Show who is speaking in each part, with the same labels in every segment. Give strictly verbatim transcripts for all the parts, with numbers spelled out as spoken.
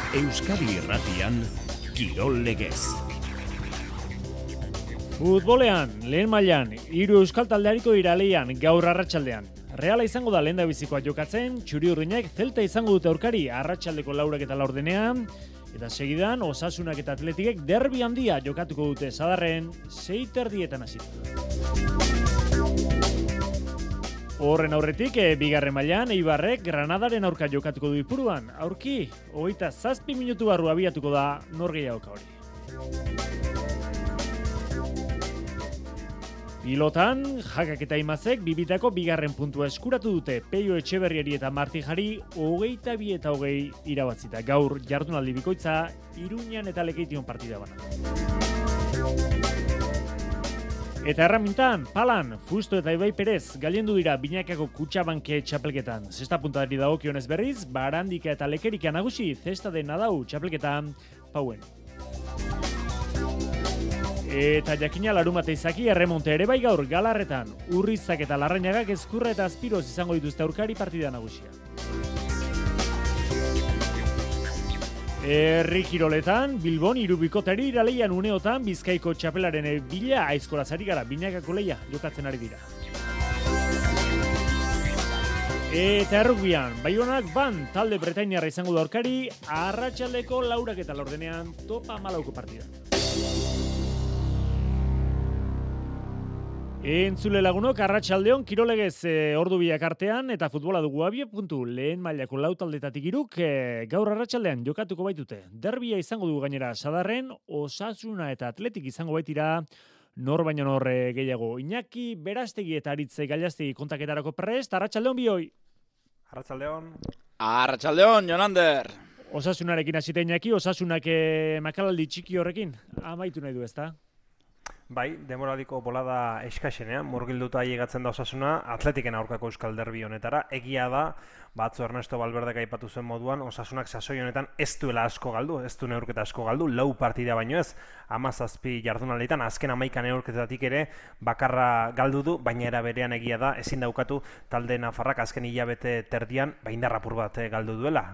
Speaker 1: Euskadi Irratian, Kirol Legez.
Speaker 2: Futbolean, lehen mailan, hiru euskal taldeariko iraleian gaur arratsaldean. Reala izango da lehendabizikoa jokatzen, txuri-urdinek Celta izango dute aurkari arratsaldeko laurak eta laurdenean, eta segidan Osasunak eta Atletikek derbi handia jokatuko dute Sadarren sei terdietan hasita. Horren aurretik, e, bigarren mailan Eibarrek Granadaren aurka jokatuko du Ipuruan. Aurki, hogeita zazpi minutu barru abiatuko da norgehiagoka hori. Pilotan, Jakak eta Imazek bibitako bigarren puntua eskuratu dute Peio Etxeberriari eta Martijari hogeita bi eta hogei irabatzita. Gaur jardunaldi bikoitza Iruñan eta Lekeition partida bana. Eta erramintan, palan, Fusto eta Ibai Perez gailendu dira Binakako Kutxabanke txapelketan. Zesta puntadari dagokionez berriz, Barandika eta Lekerika nagusi zesta de Nadau txapelketan pauen. Eta jakina larumate izaki erremonte ere bai gaur Galarretan. Urrizak eta Larrañagak Ezkurra eta Azpiroz izango dituzte aurkari partida nagusia. Herri kiroletan, Bilbon irubikotari iraleian uneotan Bizkaiko txapelaren bila aizkolazari gara Binakako leia jokatzen ari dira. Eta errukbian, Baionak ban talde bretainiarra izango da aurkari arratsaldeko laurak eta laurdenean topa malauko partida. Entzule lagunok, arratsaldeon Kirolegez e, ordu biak artean eta futbola dugu abie puntu lehen mailako lau taldetatik iruk e, gaur arratsaldean jokatuko baitute. Derbia izango dugu gainera Sadarren, Osasuna eta Atletik izango baitira nor baino nor e, gehiago. Iñaki Berastegi eta Aritze Gailastegi kontaketarako prest, arratsaldeon bioi.
Speaker 3: Arratsaldeon.
Speaker 4: Arratsaldeon, Jonander.
Speaker 2: Osasunarekin hasita Iñaki, Osasunak e, makalaldi txiki horrekin amaitu nahi du, ezta?
Speaker 3: Bai, demoradiko bolada eskaxenean, murgilduta ailegatzen da Osasuna, Atletiken aurkako euskal derbi honetara. Egia da, batzu Ernesto Valverdek aipatu zuen moduan, Osasunak sasoi honetan ez duela asko galdu, ez du neurketa asko galdu, lau partida baino ez, hamazazpi jardunalditan, azken hamaika neurketatik ere bakarra galdu du, baina era berean egia da, ezin daukatu talde nafarrak azken hilabete terdian, baindarrapur bat galdu duela.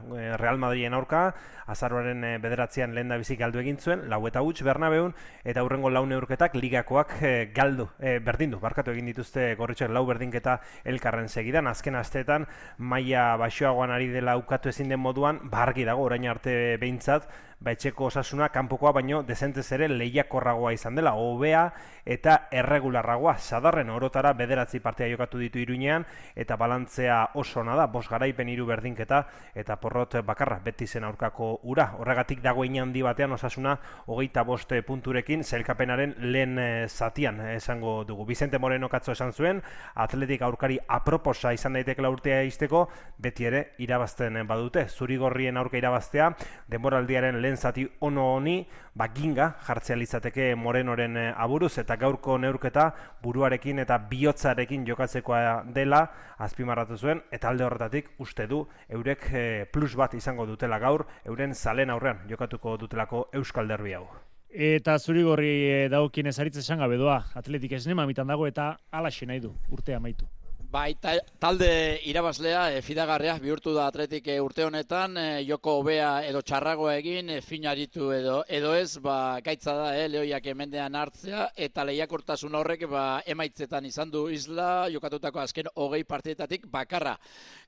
Speaker 3: Real Madriden aurka, azaroaren bederatzean lehen da bizik galdu egin zuen, lau eta huts Bernabeun, eta hurrengo lau neurketak ligakoak e, galdu, e, berdindu, barkatu egin dituzte gorritxoek lau berdinketa elkarren segidan, azken asteetan maila baxoagoan ari dela ukatu ezin den moduan, bargi dago orain arte behintzat, etxeko Osasuna kanpokoa baino dezentez ere lehiakorragoa izan dela, hobea eta erregularragoa. Sadarren orotara bederatzi partia jokatu ditu Iruñean eta balantzea oso ona da, bost garaipen hiru berdinketa eta porrot bakarra beti zen aurkako ura. Horregatik dago handi batean Osasuna hogeita bost punturekin sailkapenaren lehen zatian esango dugu. Vicente Moreno katzo esan zuen, Atletik aurkari aproposa izan daiteke urtea izteko, beti ere irabazten badute. Zurigorrien aurka irabaztea, denboraldiaren lehen zati ono honi, baginga jartzea litzateke Morenoren aburuz, eta gaurko neurketa buruarekin eta bihotzarekin jokatzekoa dela azpimarratu zuen, eta alde horretatik uste du eurek plus bat izango dutela gaur, euren zalen aurrean jokatuko dutelako euskal derbi hau.
Speaker 2: Eta Zurigorri dagokienez Aritz esan gabe doa, Atletik esnema mitan dago eta alaxe nahi du, urtea amaitu.
Speaker 4: Bai, talde irabazlea, e, fidagarria bihurtu da Atletik e, urte honetan, e, joko hobea edo txarragoa egin, e, finaritu edo edo ez, ba, gaitza da, e, lehoiak emendean hartzea, eta lehiakortasun horrek ba, emaitzetan izan du isla, jokatutako azken hogei partidetatik bakarra.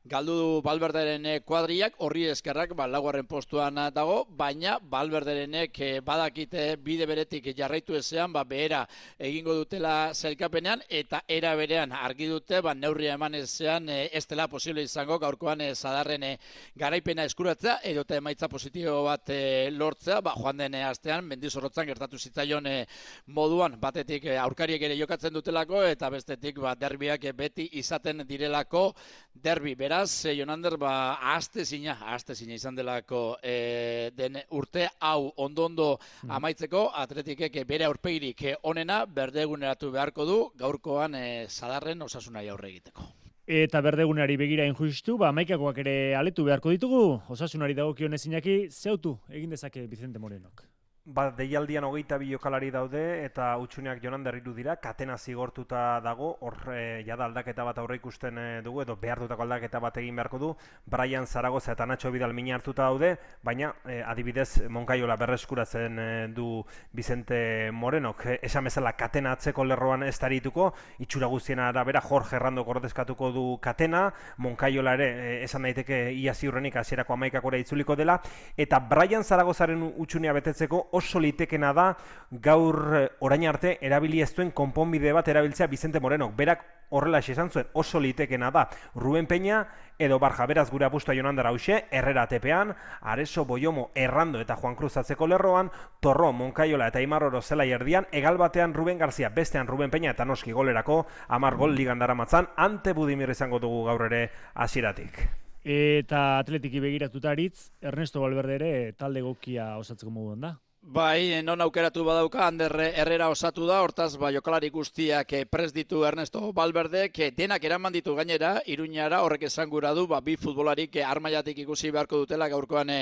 Speaker 4: Galdu du Valverderen kuadriak, horri eskerrak ba, laugarren postuan dago, baina Valverderenek e, badakite bide beretik jarraitu ezean, ba, behera egingo dutela zelkapenean, eta era berean argi dute, ba, neurria eman ezean e, ez dela posible izango gaurkoan e, Sadarren e, garaipena eskuratzea edo eta emaitza positibo bat e, lortzea, ba, joan den e, astean Mendizorrotzan gertatu zitzaion e, moduan, batetik e, aurkariek ere jokatzen dutelako eta bestetik ba, derbiak e, beti izaten direlako derbi. Beraz, e, Jonander, ba, ahazte zina, ahazte zina izan delako e, den urte hau ondo-ondo amaitzeko, Atletikek bere aurpegirik e, onena berdeguneratu beharko du gaurkoan e, Sadarren Osasunari aurre egiteko.
Speaker 2: Eta berdegunari begira injustu, ba, maikakoak ere aletu beharko ditugu, Osasunari dagokionez Iñaki, zeutu egin dezake Vicente Morenok.
Speaker 3: Ba, deialdian hogeita bi jokalari daude eta utxuneak Jonan Derriru dira, katena zigortuta dago, hor e, jada aldaketa bat aurre ikusten e, dugu, edo behartutako aldaketa bat egin beharko du, Brian Zaragoza eta Nacho Vidal mina hartuta daude, baina e, adibidez Monkaiola berreskuratzen e, du Vicente Morenok, e, esan bezala katena atzeko lerroan ez darituko, itxura guztien arabera Jorge Herrandok ordezkatuko du katena, Monkaiola ere e, esan daiteke ia ziurrenik hasierako hamaikakora itzuliko dela, eta Brian Zaragozaren utxunea betetzeko oso litekena da gaur orain arte erabili ez duen konponbide bat erabiltzea Vicente Morenok. Berak horrela esan zuen, oso litekena da Ruben Peña edo Barja. Beraz gure apustua Jonandara hauxe, Herrera tepean, Areso, Boiomo, Errando eta Juan Cruz atzeko lerroan, Torro, Monkaiola eta Aimar Oro zelai erdian, egal batean Ruben Garzia, bestean Ruben Peña eta noski golerako hamar gol ligan daramatzan, Ante Budimir izango dugu gaur ere hasieratik.
Speaker 2: Eta atletiki begiratuta aritz, Ernesto Valverde ere talde egokia osatzeko moduan da.
Speaker 4: Bai, non aukeratu badauka, Ander Herrera osatu da, hortaz, ba, jokalari guztiak prest ditu Ernesto Valverdek, denak eraman ditu gainera, Iruñara, horrek esan gura du, ba, bi futbolarik armailatik ikusi beharko dutela gaurkoan e,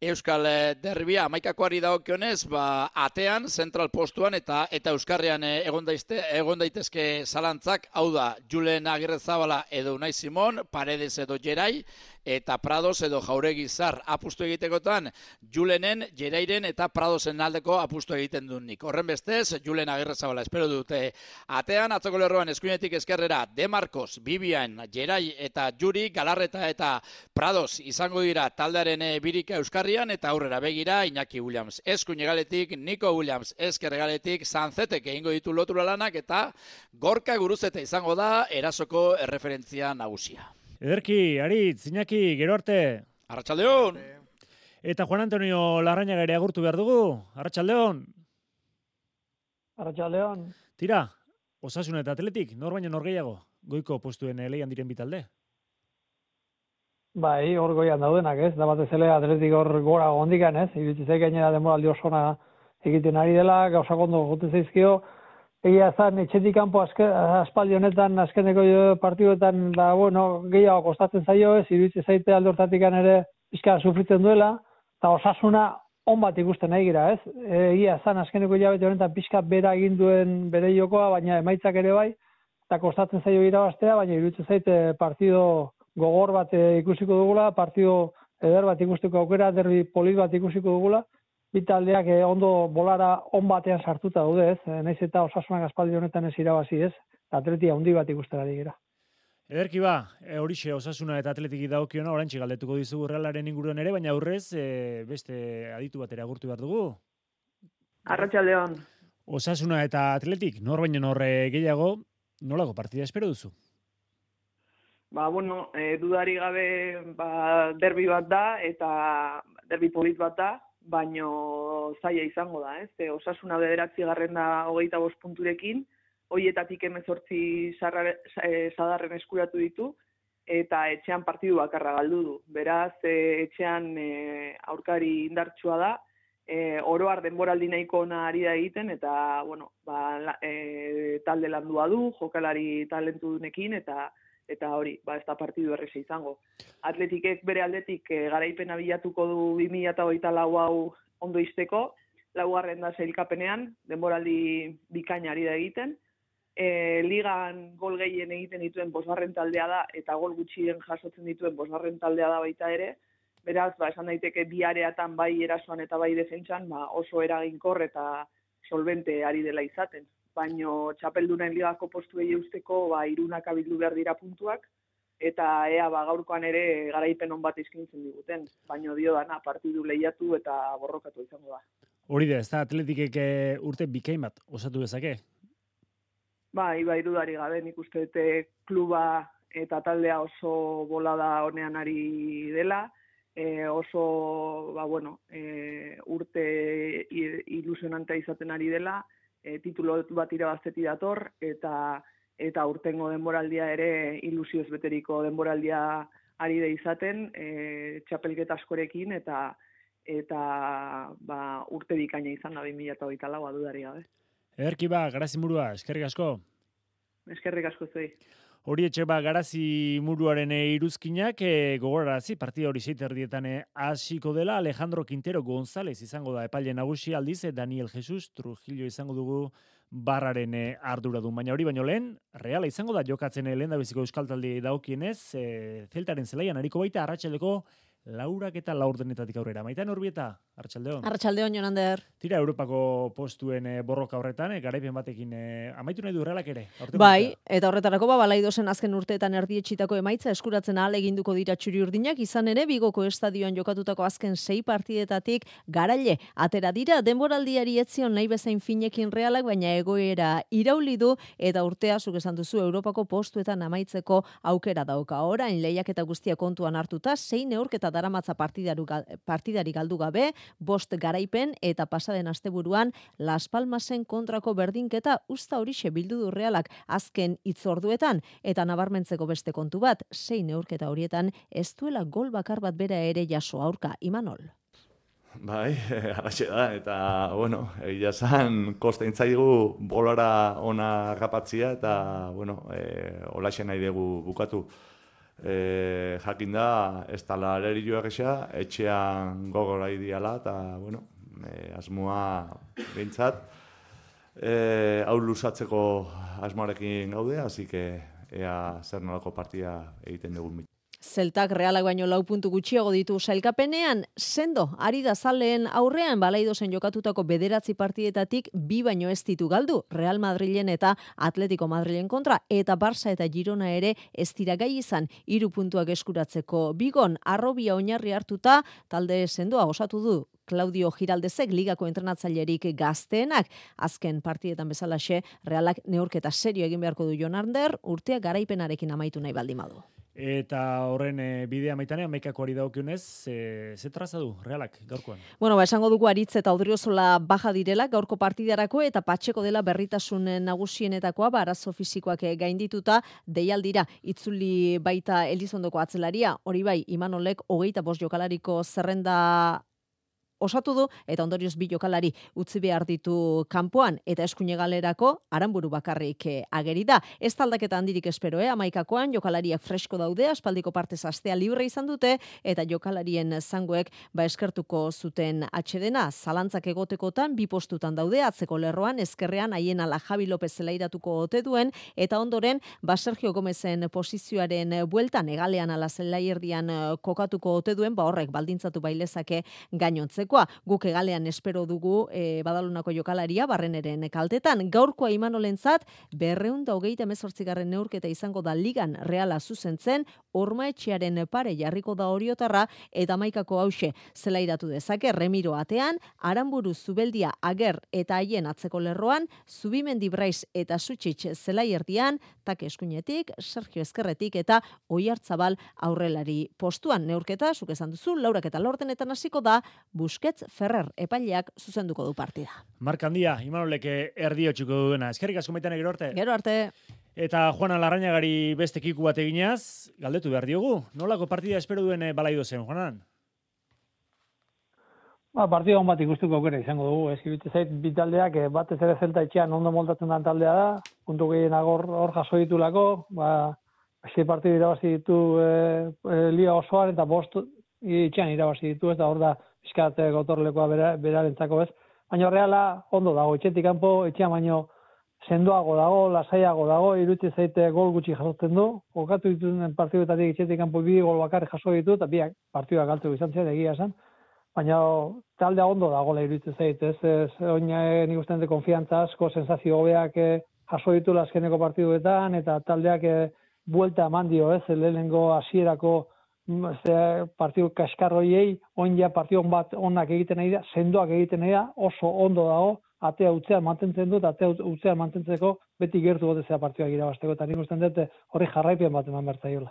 Speaker 4: Euskal Derbia. Amaikakoari dagokionez, ba, atean, zentral postuan eta eta Euskarrian e, egon, daizte, egon daitezke zalantzak, hau da, Julen Agirrezabala edo Unai Simon, Paredes edo Gerai, eta Prados edo Jauregi Zar apustu egitekotan, Julenen, Gerairen eta Pradosen aldeko apustu egiten dut nik. Horren bestez, Julen Agirrezabala espero dute atean, atzoko lerroan eskuinetik eskerrera, De Marcos, Bibian, Gerai eta Juri, Galarreta eta Prados izango dira taldearen birika Euskarrian, eta aurrera begira Iñaki Williams eskuin egaletik, Nico Williams esker egaletik, Sanzetek egingo ditu lotura lanak, eta Gorka Guruzeta izango da erasoko erreferentzia nagusia.
Speaker 2: Ederki, Aritz, Iñaki, gero arte.
Speaker 4: Arratsaldeon.
Speaker 2: Eta Juan Antonio Larrañaga ere agurtu behar dugu. Arratsaldeon.
Speaker 5: Arratsaldeon.
Speaker 2: Tira, Osasuna eta Atletik, nor baino nor gehiago, goiko postuen leian diren bitalde.
Speaker 5: Bai, hor goian daudenak, ez? Da batez ere Atletik hor gora gondikan, ez? Iritsi zaik gainera denboraldi osona egiten ari dela, gauzak ondo jote zaizkio. Egia zan, etxetik kanpo aspaldi honetan, azkeneko partiduetan, da, bueno, gehiago kostatzen zaio, ez, iruditzen zaite alde hortatikan ere pixka sufritzen duela, eta Osasuna on bat ikusten nahi gira, ez? Egia zan, azkeneko hilabete honetan pixka bera egin duen bere jokoa, baina emaitzak ere bai, eta kostatzen zaio irabaztea, baina iruditzen zaite partido gogor bat ikusiko dugula, partido eder bat ikusteko aukera, derbi polit bat ikusiko dugula, bitaldeak ondo bolara on batean sartuta daude, ez? Naiz eta Osasunak aspaldi honetan ez irabazi, ez? Atletia handi bat ikustera digera.
Speaker 2: Ederki ba, e, horixe Osasuna eta Atletiki dagokiona, oraintxe galdetuko dizugu Realaren inguruan ere, baina aurrez e, beste aditu batera agurtu behar dugu.
Speaker 6: Arratsaldeon.
Speaker 2: Osasuna eta Atletik, nor baino nor gehiago, nolako partida espero duzu?
Speaker 6: Ba, bueno, e, dudari gabe ba, derbi bat da, eta derbi polit bat da, baino zaila izango da, ez? E, Osasuna bederatzi garren da hogeita bost punturekin, hoietatik hemezortzi sadarren eskuratu ditu, eta etxean partidu bakarra galdu du. Beraz, e, etxean e, aurkari indartsua da, e, oroar denboraldi nahiko ona ari da egiten, eta, bueno, ba, e, talde landua du, jokalari talentudunekin, eta eta hori, ba, ez da partidu erresa izango. Atletikek bere aldetik e, garaipena bilatuko du bi mila hogeita lau hau ondo izteko, laugarren da sailkapenean, denboraldi bikaina ari da egiten. E, ligan gol gehien egiten dituen bosgarren taldea da, eta gol gutxien jasotzen dituen bosgarren taldea da baita ere. Beraz, ba, esan daiteke bi areatan bai erasoan eta bai defentsan, ba, oso eraginkor eta solvente ari dela izaten. Baino txapeldunen ligako postuei eusteko ba, irunak abildu behar dira puntuak, eta ea ba, gaurkoan ere garaipen on bat eskaintzen diguten. Baino dio dana, partidu lehiatu eta borrokatu izango da.
Speaker 2: Hori da, ez da Atletikek urte bikain bat osatu dezake?
Speaker 6: Bai, bai, dudari gabe, nik uste dute kluba eta taldea oso bolada honean ari dela, e, oso, ba, bueno, e, urte ilusionanta izaten ari dela, E, titulo bat irabazteti dator, eta eta urtengo denboraldia ere ilusioz beteriko denboraldia ari da izaten, e, txapelketa askorekin, eta eta ba, urte bikaina izan da bi mila hogeita laua dudari gabe.
Speaker 2: Ederki ba, Garazimurua, eskerrik asko.
Speaker 6: Eskerrik asko zuei.
Speaker 2: Hori etxeba Garazi muruaren iruzkinak e, gogorarazi partida hori seit erdietan hasiko dela. Alejandro Quintero González izango da epaile nagusi, aldiz Daniel Jesus Trujillo izango dugu barraren arduradun. Baina hori baino lehen, Reala izango da jokatzen lehen da biziko euskal talde daukienez, e, Zeltaren zelaian hariko baita arratsaldeko laurak eta laurdenetatik aurrera. Maitan Urbieta, arratsaldeon.
Speaker 7: Arratsaldeon, Jonander.
Speaker 2: Tira Europako postuen e, borroka horretan, e, garaipen batekin e, amaitu nahi du Realak ere.
Speaker 7: Bai, eta horretarako ba, Balaidosen azken urteetan erdietxitako emaitza eskuratzen ahal eginduko dira txuri-urdinak, izan ere Bigoko estadioan jokatutako azken sei partidetatik garaile atera dira, denboraldiari etzion nahi bezain finekin Realak, baina egoera irauli du eta urtea zuk esan duzu Europako postuetan amaitzeko aukera dauka. Orain lehiaketa guztia kontuan hartuta, sei neurketa daramatza partidari galdu gabe, bost garaipen eta pasaden asteburuan Las Palmasen kontrako berdinketa usta horixe bildu du Realak azken hitzorduetan eta nabarmentzeko beste kontu bat, sei neurketa horietan ez duela gol bakar bat bera ere jaso aurka, Imanol.
Speaker 8: Bai, halaxe da, eta, bueno, egia zan, kosta intzaigu bolara ona agapatzia, eta, bueno, e, holaxe nahi dugu bukatu. E, jakin da, ez tala arerilloak esa, etxean gogora idiala, eta, bueno, e, asmoa behintzat, e, hau luzatzeko asmoarekin gaude, así que ea zer nolako partia egiten dugun.
Speaker 7: Zeltak Realak baino lau puntu gutxiago ditu sailkapenean, sendo, ari da zaleen aurrean Balaidosen jokatutako bederatzi partidetatik bi baino ez ditu galdu, Real Madrilen eta Atletico Madrilen kontra, eta Barça eta Girona ere ez dira gai izan, hiru puntuak eskuratzeko. Bigon, arrobia oinarri hartuta, talde sendoa osatu du Claudio Giraldezek ligako entrenatzailerik gazteenak. Azken partidetan bezalaxe, Realak neurketa serio egin beharko du Jonander, urtea garaipenarekin amaitu nahi baldin badu.
Speaker 2: Eta horren e, bidea maitanean maikakoari daukionez, e, ze traza du Realak gaurkoan?
Speaker 7: Bueno, ba, esango dugu Aritz eta Odriozola baja direla gaurko partidarako eta Patxeko dela berritasun nagusienetakoa, ba, arazo fisikoak gaindituta deialdira itzuli baita Elizondoko atzelaria, hori bai, Imanolek hogeita bost jokalariko zerrenda osatu du, eta ondorioz bi jokalari utzi behar ditu kanpoan, eta eskuine galerako Aranburu bakarrik ageri da. Ez taldaketa handirik espero, eh? Amaikakoan jokalariak fresko daude, aspaldiko partez astea libre izan dute, eta jokalarien zangoek ba eskertuko zuten atxedena. Zalantzak egotekotan, bi postutan daude, atzeko lerroan, ezkerrean haien ala Javi López zelairatuko ote duen, eta ondoren, ba Sergio Gomezen posizioaren bueltan, egalean ala zelaierdian kokatuko ote duen, ba horrek baldintzatu bailezake gainontzeko. Guk egalean espero dugu e, Badalonako jokalaria barreneren kaltetan. Gaurkoa Imanolentzat berrehun eta hogeita hemezortzigarren neurketa izango da ligan Reala zuzentzen, Ormaetxearen pare jarriko da Oriotarra eta hamaikako hauxe zelairatu dezake Remiro atean, Aranburu Zubeldia Ager eta haien atzeko lerroan, Zubimendi Braiz eta Sutxitx zelaierdian, Tak eskuinetik, Sergio Ezkerretik eta Oiartzabal aurrelari postuan. Neurketa, zuk esan duzu, laurak eta laurdenetan hasiko da, Busquets Ferrer epaileak zuzenduko du partida.
Speaker 2: Mark handia, Imanolek erdi hotxuko duena. Eskerrik asko maitane gero arte.
Speaker 7: Gero arte.
Speaker 2: Eta Juana Larrañagari beste kiku bat eginaz, galdetu behar diogu. Nolako partida espero duen Balaidosen, Juanan?
Speaker 5: Ba, partida hon bat ikustuko aukera izango dugu. Ez ibite zait bitaldeak batez ere Zelta etxean ondo moldatzen den taldea da. Puntu gehienak hor, hor jaso ditulako. Ba, sei partidu irabazi ditu e, e, liga osoan eta bost etxean irabazi ditu, eta hor da pixkat gotorlekoa bera, berarentzako ez. Baina Reala ondo dago, etxetik kanpo, etxean baino sendoago dago, lasaiago dago, iruditzen zaite gol gutxi jasotzen du. Jokatu dituen partiduetatik etxetik kanpo bi gol bakarrik jaso ditu, eta biak partiduak galtu izan zen, egia esan. Baina taldea ondo dagoela iruditzen zaite, ez, ez oin nik uste dute konfiantza asko, sensazio hobeak jaso ditu azkeneko partiduetan, eta taldeak buelta eman dio, ez, lehenengo hasierako partidu kaskarroiei, oin ja partidu bat onak egiten nahi da, sendoak egiten nahi da, oso ondo dago, atea utzean mantentzen dut, atea utzean mantentzeko beti gertu gotezea partiduak irabazteko, eta nik usten dut horri jarraipen bat eman bertzaiola.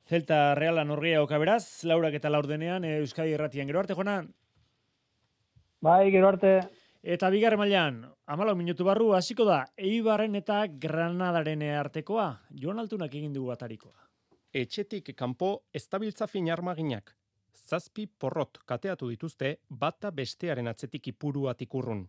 Speaker 2: Zelta Reala norgia oka beraz, laurak eta laurdenean, Euskadi Irratian. Gero arte, Jonan?
Speaker 5: Bai, gero arte.
Speaker 2: Eta bigarren mailan, hamalau minutu barru hasiko da, Eibarren eta Granadaren artekoa, Jon Altunak egin dugu atarikoa.
Speaker 9: Etxetik kanpo eztabiltza fin armaginak. Zazpi porrot kateatu dituzte bata bestearen atzetik ipuruatik urrun.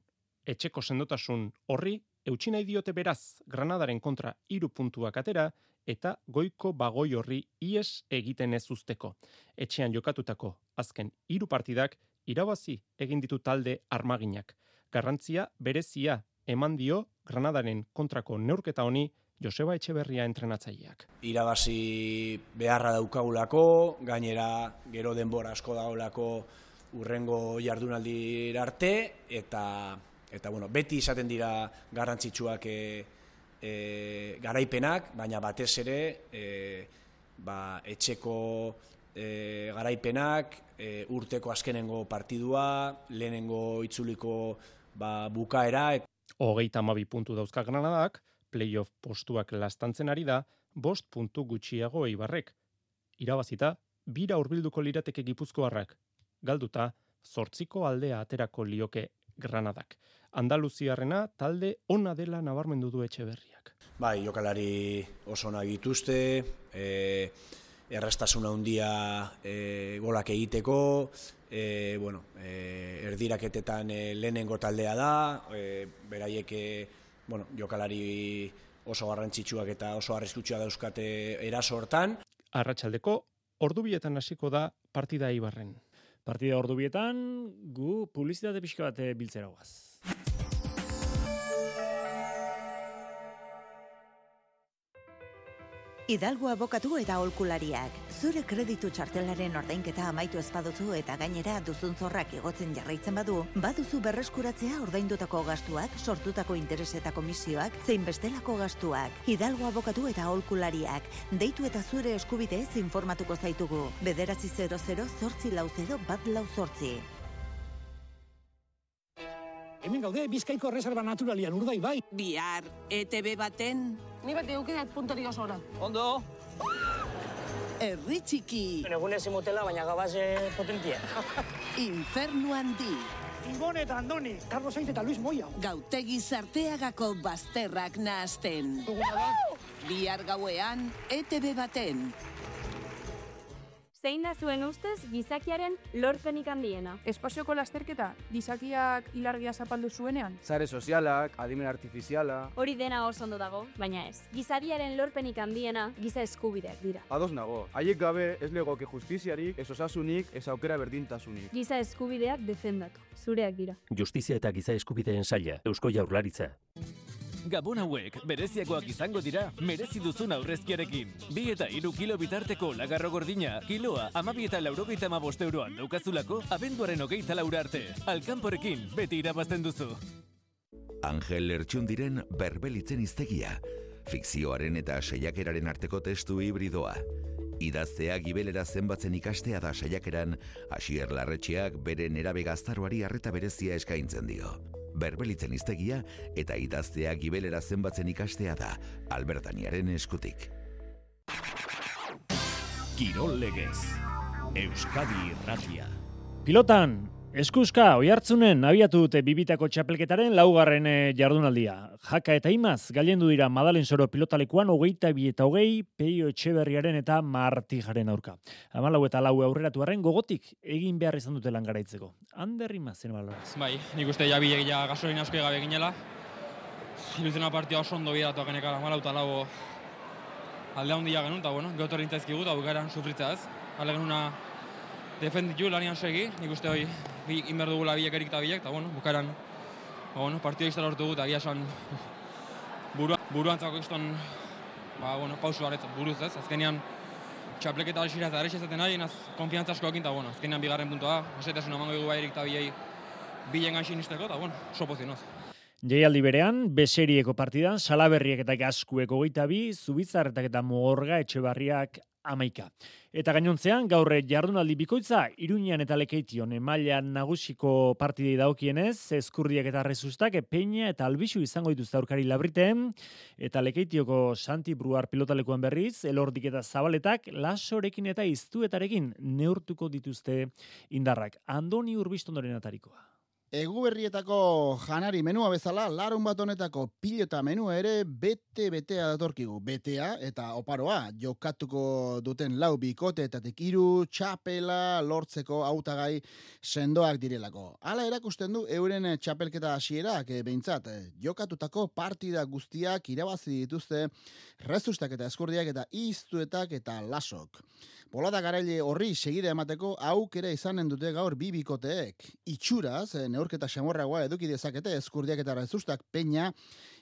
Speaker 9: Etxeko sendotasun horri eutsi nahi diote beraz Granadaren kontra hiru puntuak atera eta goiko bagoi horri ies egiten ez usteko. Etxean jokatutako azken hiru partidak irabazi egin ditu talde armaginak. Garrantzia berezia eman dio Granadaren kontrako neurketa honi Joseba Etxeberria entrenatzaileak.
Speaker 10: Irabazi beharra daukagulako, gainera gero denbora asko dagoelako urrengo jardunaldi arte, eta, eta bueno, beti izaten dira garrantzitsuak e, e, garaipenak, baina batez ere e, ba, etxeko e, garaipenak, e, urteko azkenengo partidua, lehenengo itzuliko ba, bukaera. Et...
Speaker 9: Hogeita hamabi puntu dauzka Granadak, playoff postuak lastantzen ari da, bost puntu gutxiago Eibarrek. Irabazita, bira hurbilduko lirateke Gipuzkoarrak. Galduta, zortziko aldea aterako lioke Granadak. Andaluziarrena talde ona dela nabarmendu du Etxeberriak.
Speaker 10: Bai, jokalari oso onak dituzte, e, erraztasuna handia e, golak egiteko, e, bueno, e, erdiraketetan e, lehenengo taldea da, e, beraiek e, bueno, jokalari oso garrantzitsuak eta oso arriskutsuak dauzkate eraso hortan.
Speaker 9: Arratsaldeko ordubietan hasiko da partida Eibarren.
Speaker 2: Partida ordubietan gu publizitate pixka bat biltzera goaz.
Speaker 11: Hidalgo abokatu eta aholkulariak. Zure kreditu txartelaren ordainketa amaitu ez baduzu eta gainera duzun zorrak igotzen jarraitzen badu, baduzu berreskuratzea ordaindutako gastuak, sortutako interes eta komisioak, zein bestelako gastuak. Hidalgo abokatu eta aholkulariak. Deitu eta zure eskubideez informatuko zaitugu. Bederatzi zero zero zortzi lau zero bat lau zortzi.
Speaker 12: Hemen gaude Bizkaiko Erreserba Naturalian Urdaibai.
Speaker 13: Bihar, E T B baten...
Speaker 12: Ni bat eukidat puntari oso oran.
Speaker 13: Ondo. Herri txiki.
Speaker 12: Egunez imotela, baina gabaze potentia.
Speaker 13: Infernu handi.
Speaker 12: Ibon eta Andoni, Carlos Sainz eta Luis Moya.
Speaker 13: Gautegi Sarteagako bazterrak nahazten. Bihar gauean, E T B baten.
Speaker 14: Zein da zuen ustez gizakiaren lorpenik handiena?
Speaker 15: Espazioko lasterketa, gizakiak ilargia zapaldu zuenean?
Speaker 16: Sare sozialak, adimen artifiziala...
Speaker 14: Hori dena oso ondo dago, baina ez. Gizadiaren lorpenik handiena giza eskubideak dira.
Speaker 16: Ados nago, haiek gabe ez legoke justiziarik, ez osasunik, ez aukera berdintasunik.
Speaker 14: Giza eskubideak defendatu, zureak dira.
Speaker 17: Justizia eta giza eskubideen saila, Eusko Jaurlaritza.
Speaker 18: Gabon hauek, bereziagoak izango dira, merezi duzun aurrezkiarekin. Bi eta hiru kilo bitarteko lagarro gordina, kiloa hamabi eta laurogeita hamabost euroan daukazulako, abenduaren hogeita laura arte. Alkanporekin, beti irabazten duzu.
Speaker 19: Angel Lertxundiren Berbelitzen hiztegia. Fikzioaren eta saiakeraren arteko testu hibridoa. Idaztea gibelera zenbatzen ikastea da saiakeran, Asier Larretxeak bere nerabe gaztaroari arreta berezia eskaintzen dio. Berbelitzen hiztegia eta idaztea gibelera zenbatzen ikastea da, Albertaniaren eskutik.
Speaker 1: Kirol legez, Euskadi Irratia.
Speaker 2: Pilotan, eskuska, oihartzunen abiatu dute bibitako txapelketaren laugarren jardunaldia. Jaka eta Imaz gailendu dira Madalen Soro pilotalekuan hogeita bi eta hogei Peio Etxeberriaren eta Martijaren aurka. Hamalau eta lau aurreratu arren gogotik egin behar izan dute lan garaitzeko. Ander Imaz, zen baloraz.
Speaker 20: Bai, nik uste ja bilegia gasolina asko egabe ginela. Iluziona partia oso ondo bidatu agenekara, hamalau eta lau alde handia genuen, eta bueno, geotorri intzaizkigu, eta bukaeran sufritza ez. Ale genuna defenditu lanian segi, nik uste hori inber dugula biek erik eta biek, eta bueno, bukaeran ba, bueno, partio iztara hortu dut, agia esan buruan, buruantzako izton ba, bueno, pausu baretzen buruz ez, azkenean txapleketa alxira eta errexe zaten ari, naz konfiantza asko ekin, eta bueno, azkenean bigarren puntua, osetasuna emango dugu bai erik eta biei bilen gaixin izteko, eta bueno, sopozinoz.
Speaker 2: Jaialdi berean, beserieko partidan, Salaberriek eta Gaskuek hogeita bi, Zubizarretak eta Mogorga Etxebarriak amaika. Eta gainontzean, gaur jardunaldi bikoitza, Iruñean eta Lekeition mailan nagusiko partidei dagokienez, Ezkurdiak eta Resustak, Peña eta Albixu izango dituzte aurkari Labriten, eta Lekeitioko Santi Bruar pilotalekuan berriz, Elordik eta Zabaletak, Lasorekin eta Iztuetarekin neurtuko dituzte indarrak. Andoni Urbistondoren atarikoa.
Speaker 21: Eguberrietako janari menua bezala, larun bat honetako pilota menua ere bete-betea datorkigu. Betea eta oparoa jokatuko duten lau bikoteetatik hiru txapela lortzeko hautagai sendoak direlako. Hala erakusten du euren txapelketa hasierak behintzat. Jokatutako partida guztiak irabazi dituzte rezustak eta eskurdiak eta iztuetak eta lasok. Bolada garaile horri segide emateko aukera izanen dute gaur bi bikoteek. Itxuraz, neurketa xamorragoa eduki dezakete eskurdiak eta rezustak peña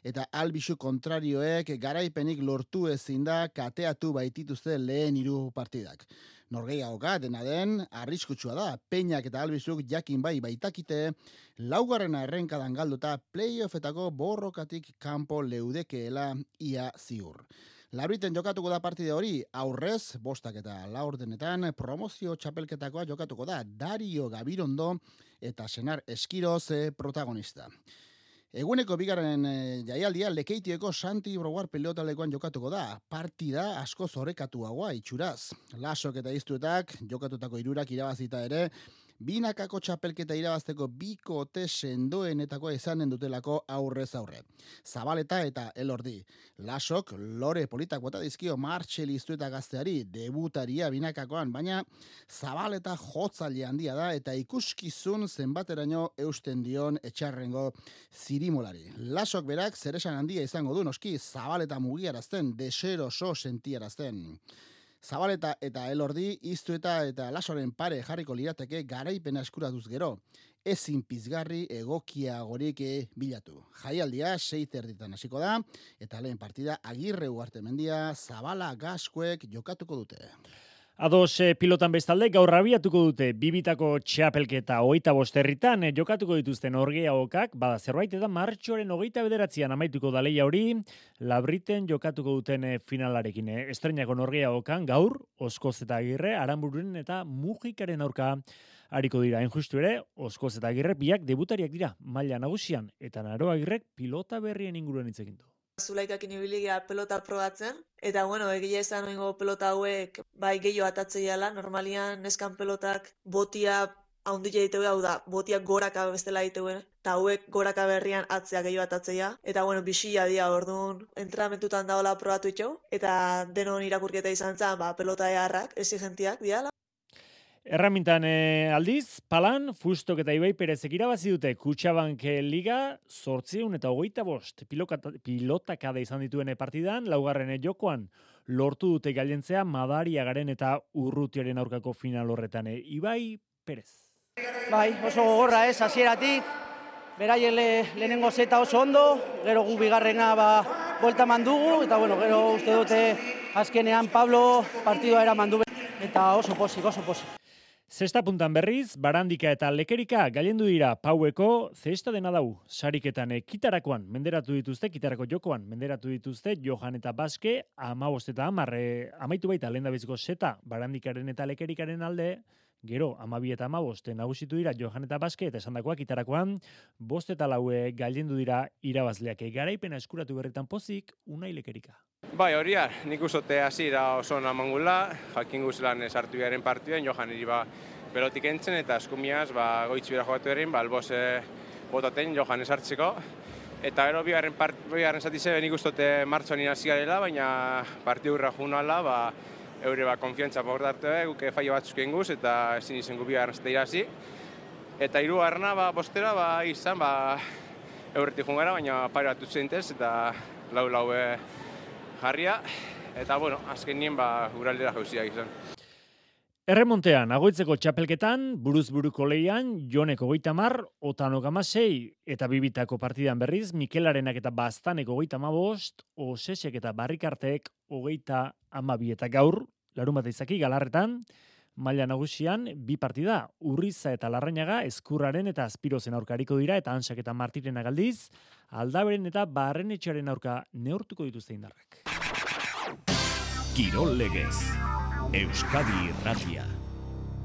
Speaker 21: eta albisu kontrarioek garaipenik lortu ezin da kateatu baitituzte lehen hiru partidak. Norgehiagoka dena den, arriskutsua da, peñak eta albizuk jakin bai baitakite, laugarrena errenkadan galduta playoffetako borrokatik kanpo leudekeela ia ziur. Labriten jokatuko da partide hori, aurrez, bostak eta laurdenetan, promozio txapelketakoa jokatuko da, Dario Gabirondo eta Senar Eskiroz protagonista. Eguneko bigarren jaialdia Lekeitieko Santi Broguar pelotalekoan jokatuko da, partida asko zorekatuagoa itxuraz. Lasok eta iztuetak jokatutako hirurak irabazita ere, binakako txapelketa irabazteko bikote sendoenetakoa izanen dutelako aurrez aurre. Zabaleta eta Elordi. Lasok lore politak bota dizkio Martxel iztueta gazteari, debutaria binakakoan, baina Zabaleta jotzaile handia da eta ikuskizun zenbateraino eusten dion etxarrengo zirimolari. Lasok berak zeresan handia izango du noski Zabaleta mugiarazten, deseroso sentiarazten. Zabaleta eta Elordi, iztueta eta lasoren pare jarriko lirateke garaipena eskuratuz gero. Ezin pizgarri egokiagorik bilatu. Jaialdia sei terditan hasiko da, eta lehen partida Agirre Ugartemendia, Zabala Gaskuek jokatuko dute.
Speaker 2: Ados pilotan bestalde gaur abiatuko dute bibitako txapelketa hogeita bost herritan jokatuko dituzten Norgehiagokak, bada zerbait eta martxoaren hogeita bederatzian amaituko da lehia hori, Labriten jokatuko duten finalarekin. Estreinako Norgehiagokan gaur, Oskoz eta Agirre, Aranbururen eta Mujikaren aurka hariko dira. Injustu ere, Oskoz eta Agirre biak debutariak dira maila nagusian, eta Naro Agirrek pilota berrien inguruan hitz egin du.
Speaker 22: Zulaikakin ibiligia pelota probatzen, eta bueno, egia esan oingo pelota hauek bai gehiago atatzeiala, normalian neskan pelotak botia haundila diteue, hau da, botiak goraka bestela diteue, eta hauek goraka berrian atzea gehiago atatzeia, eta bueno, bisila dia orduan, entramentutan daola probatu itxau, eta denon irakurketa izan zen, ba, pelota eharrak, exigentiak diala.
Speaker 2: Erramintan e, aldiz, Palan, Fustok eta Ibai Perezek irabazi dute Kutxabank Liga zortziehun eta hogeita bost pilotakada izan dituen partidan, laugarren jokoan lortu dute gailentzea Madariagaren eta Urrutiaren aurkako final horretan. E, Ibai Perez.
Speaker 23: Bai, oso gogorra ez, hasieratik, beraien le, lehenengo zeta oso ondo, gero gu bigarrena ba, buelta mandugu, eta bueno, gero uste dute azkenean Pablo partidua era mandu, eta oso posik, oso posik.
Speaker 2: Zesta puntan berriz, Barandika eta Lekerika gailendu dira Paueko zesta dena dau. Sariketan kitarakoan menderatu dituzte, kitarako jokoan menderatu dituzte, Johan eta Baske, amabost eta amar, amaitu baita lehendabiziko zeta Barandikaren eta Lekerikaren alde, gero amabi eta amabost nagusitu dira Johan eta Baske, eta esandakoak kitarakoan, bost eta laue gailendu dira irabazleak. Garaipena eskuratu berritan pozik, Unai Lekerika.
Speaker 24: Bai, horia, nik uzote hasiera oso namangula, jakin guzlan sartu garen partiduen, Johan hiri ba pelotik entzen eta eskumiaz ba, goitzu bera jogatu erin, ba, albos e, botaten Johan esartzeko. Eta gero bigarren, part, bigarren zatize nik uzote martxoan inazigarela, baina partidu urra junala, ba, eure ba, konfiantza bordarte, guke faio batzuk inguz, eta ezin izen gu bigarren zate irazi. Eta hirugarrena ba, bostera ba, izan, ba, eurretik jungara, baina pare bat utzentez, eta lau-lau e, jarria, eta bueno, azken nien ba, uraldera jauziak izan.
Speaker 2: Erremontean, agoitzeko txapelketan, buruz buruko lehian, Jonek hogeita mar, Otanok amasei, eta bibitako partidan berriz, Mikelarenak eta Bastanek hogeita amabost, Osesek eta Barrikartek hogeita amabi, eta gaur, larun bat izaki, Galarretan, maila nagusian, bi partida, Urriza eta Larrañaga, Eskurraren eta Azpirozen aurka hariko dira, eta Ansak eta Martiren agaldiz, Aldaberen eta Barrenetxearen aurka neurtuko dituzte indarrak.
Speaker 1: Kirol legez, Euskadi Irratia.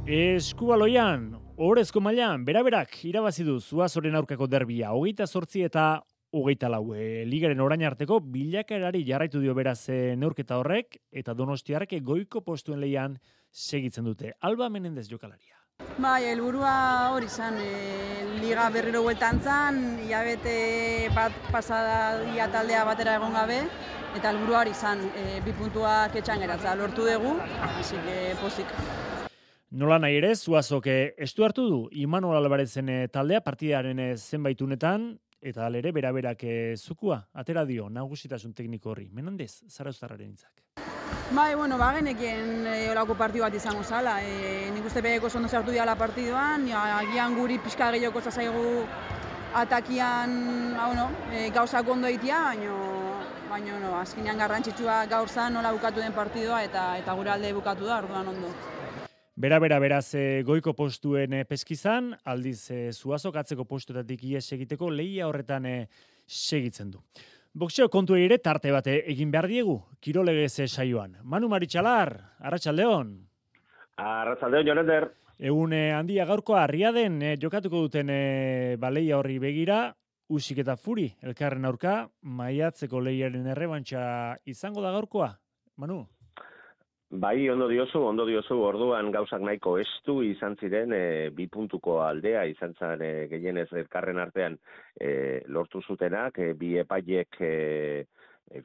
Speaker 2: Eskubaloian, orezko mailan, beraberak irabazi du Zuazoren aurkako derbia, hogeita zortzi eta hogeita lau. E, ligaren orain arteko bilakaerari jarraitu dio beraz e, neurketa horrek, eta Donostiarrek goiko postuen lehian segitzen dute. Alba Menendez jokalaria.
Speaker 3: Bai, helburua hori izan, e, liga berriro bueltan zan, hilabete bat pasada ia taldea batera egon gabe, eta helburua hori izan, e, bi puntuak etxan geratza lortu dugu, hasi que pozik.
Speaker 2: Nola nahi ere, Zuazok estu hartu du Imanol Albarezen taldea partidaren zenbait unetan, eta alere bera-berak zukua, atera dio nagusitasun tekniko horri. Menandez, Zarauztarraren hitzak.
Speaker 3: Bai, bueno, ba, genekien e, olako partidu bat izango zala. E, nik uste beheko ondo sartu diala partiduan, agian guri pixka gehiago zaigu atakian ba, bueno, e, gauzak ondo egitea, baina baina no, azkenean garrantzitsua gaur zan nola bukatu den partidua eta eta gure alde bukatu da, orduan ondo.
Speaker 2: Bera-bera beraz e, goiko postuen e, peskizan, aldiz e, Zuazok atzeko postuetatik ies egiteko lehia horretan e, segitzen du. Boxeo kontu ere tarte bate egin behar diegu, Kirolegez saioan. Manu Maritxalar, Arratsaldeon.
Speaker 4: Arratsaldeon, Jonender.
Speaker 2: Egun handia gaurkoa Riaden eh, jokatuko duten eh, baleia horri begira, Usik eta Furi, elkarren aurka, maiatzeko lehiaren errebantxa izango da gaurkoa, Manu?
Speaker 4: Bai, ondo diozu, ondo diozu, orduan gauzak nahiko estu izan ziren, e, bi puntuko aldea izan zen e, gehienez elkarren artean e, lortu zutenak, e, bi epaiek e,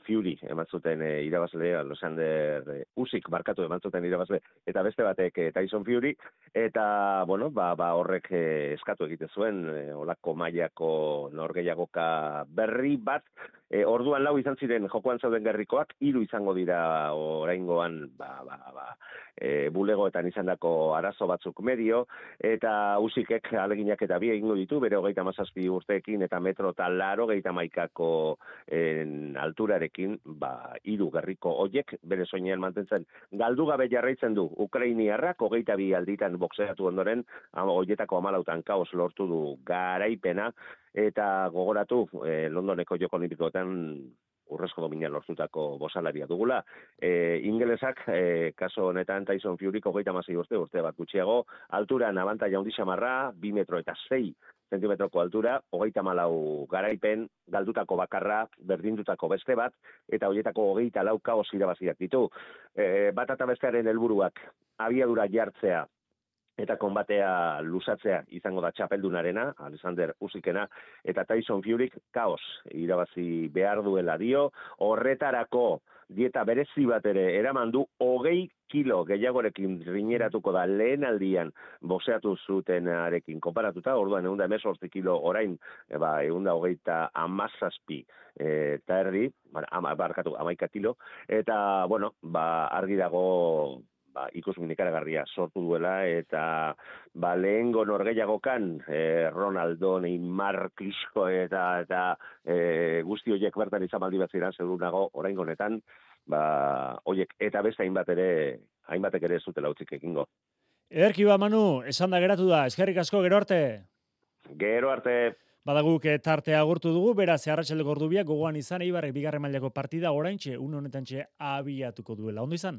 Speaker 4: Fury eman zuten e, irabazle, Alexander e, Usik barkatu eman zuten irabazle, eta beste batek e, Tyson Fury, eta bueno, ba, ba horrek e, eskatu egiten zuen, e, olako mailako norgehiagoka berri bat, e, orduan lau izan ziren jokoan zauden gerrikoak, hiru izango dira oraingoan ba, ba, ba, e, bulegoetan izandako arazo batzuk medio, eta Usikek aleginak eta bi egingo ditu, bere hogeita hamazazpi urteekin eta metro eta laro geita maikako en, alturarekin, ba, hiru gerriko hoiek bere soinean mantentzen galdu gabe jarraitzen du Ukrainiarrak, hogeita bi alditan boxeatu ondoren, hoietako hamalautan kaos lortu du garaipena, eta gogoratu eh, Londoneko Joko Olimpikoetan urrezko domina lortutako bosalaria dugula. E, ingelesak, e, kaso honetan Tyson Fury hogeita hamasei urte, urte bat gutxiago, alturan abantaila handi xamarra, bi metro eta sei zentimetroko altura, hogeita hamalau garaipen, galdutako bakarra, berdindutako beste bat, eta horietako hogeita lau kaos irabaziak ditu. E, bat eta bestearen helburuak abiadura jartzea, eta konbatea luzatzea izango da txapeldunarena, Alexander Usikena, eta Tyson Furyk kaos irabazi behar duela dio, horretarako dieta berezi bat ere eraman du, hogei kilo gehiagorekin rineratuko da lehen aldian boxeatu zutenarekin konparatuta, orduan egun da emezortzi kilo orain, eba, egun da hogeita amazazpi eta erdi, ama, barkatu, amaika kilo, eta, bueno, ba, argi dago ba, ikusmin ikaragarria sortu duela, eta ba, lehengo norgehiagokan, eh, Ronaldo, Neymar, Klitschko eta, eta eh, guzti horiek bertan izan baldi bat ziren, zeru nago, orain honetan, ba, horiek eta beste hainbat ere, hainbatek ere ez zutela utzik egingo.
Speaker 2: Ederki ba, Manu, esan da geratu da, eskerrik asko, gero arte.
Speaker 4: Gero arte.
Speaker 2: Badaguk tartea agurtu dugu, beraz, arratsaldeko ordubiak gogoan izan, Eibarrek bigarren mailako partida oraintxe, une honetantxe abiatuko duela. Ondo izan?